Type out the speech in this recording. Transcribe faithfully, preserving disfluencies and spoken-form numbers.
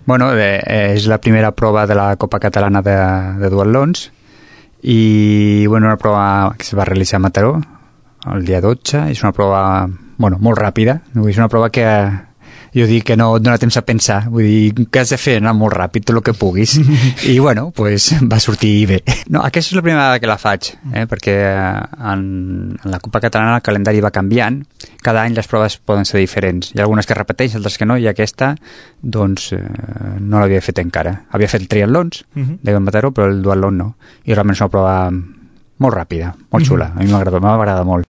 Bueno, eh, és la primera prova de la Copa Catalana de, de duatlons i, bueno, una prova que es va realitzar a Mataró el dia dotze. És una prova, bueno, molt ràpida. És una prova que jo dic que no et dona temps a pensar. Vull dir, que has de fer anar molt ràpid, tot el que puguis. I, bueno, pues, va sortir bé. No, aquesta és la primera vegada que la faig, eh? Perquè en, en la Copa Catalana el calendari va canviant. Cada any les proves poden ser diferents. Hi ha algunes que repeteixen, altres que no, i aquesta, doncs, eh, no l'havia fet encara. Havia fet triatlons, uh -huh. de Mataró, però el duatlon no. I realment és una prova molt ràpida, molt xula. A mi m'agrada, m'agrada molt.